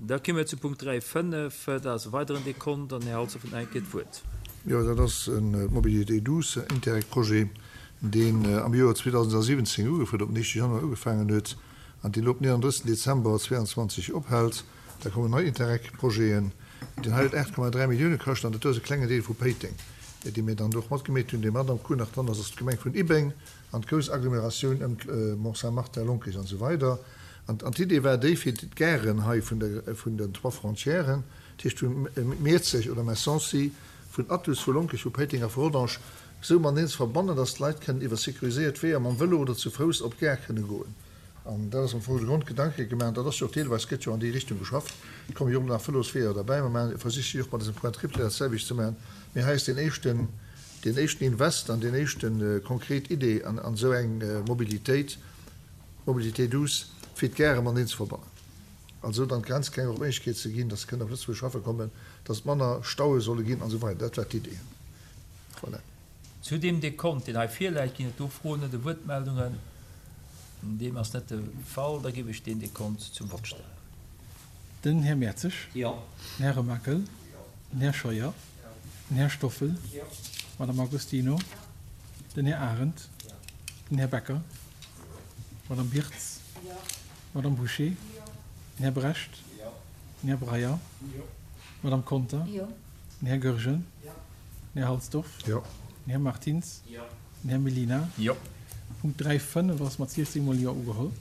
Da komme mir zu Punkt 3, 5. Dat ass e weideren Dekont an den Här Halsdorf huet nach eng Kéier d'Wuert. Jo, dat ass e Mobilité douce Interreg-Projet, deen am Joer 2017 ugefuert, op den éischte Januar ugefaangen huet an deen elo op den 31 Dezember 2022 ophält. Da kommen nei Interreg-Projeten. Deen hei huet 8,3 Millioune kascht an dat do ass e klengen Deel vu Péiteng, dee mir dann do och matgemeet hunn. Dee mat am Cours nach dran ass, ass d'Gemeng vun Ibbeng an d'grouss Agglomeratioun ëm Mont-Saint-Martin, Lonkech an esou weider. An d'Idee war déi, fir d'Garen hei vun der, vun den trois frontièren, dat heescht vu Miezeg oder Messancy, vun Athus, vu Lonkech, vu Péiteng a vu Rodange, esou mateneen ze verbannen, dass d'Leit kënnen iwwer sécuriséiert Weeër mam Vëlo oder zu Fouss op d'Gare kënne goen. An dat ass am Fong de Grondgedanke gemaach. An dat ass jo och deelweis, gëtt jo an déi Richtung geschafft. Et komme jo och nach Vëlosweeër derbäi. Mer maachen, versiche jo och mat dësem Point triple dat selwecht ze maachen. Mee hei ass deen éischten, deen éischten Invest an deen éischten konkret Idee an esou eng Mobilitéit, Mobilité douce, fir d'Gare mateneen ze verbannen. An esou dann d'Grenzgänger och d'Méiglechkeet ze ginn, dass se kënnen op Lëtzebuerg schaffe kommen, dass et manner Staue solle ginn an esou weider. Dat war d'Idee. Voilà. Zu deem Dekont, deen hei virläit, ginn et do Froen oder Wuertmeldungen? Deem ass net de Fall. Da géif ech deen Dekont zum Vott stellen. Den Här Mertzig. Jo. Den Här Remakel. Den Här Scheuer. Den Här Stoffel. Jo. D'Madame Agostino. Den Här Arendt. Den Här Becker. D'Madame Birtz. Jo. D'Madame Bouché. Jo. Den Här Brecht. Jo. Den Här Breyer. Jo. D'Madame Conter. Jo. Den Här Goergen. Jo. Den Här Halsdorf. Jo. Den Här Martins. Jo. Den Här Mellina. Jo. Punkt 3, 5 ass mat 16 mol Jo ugeholl.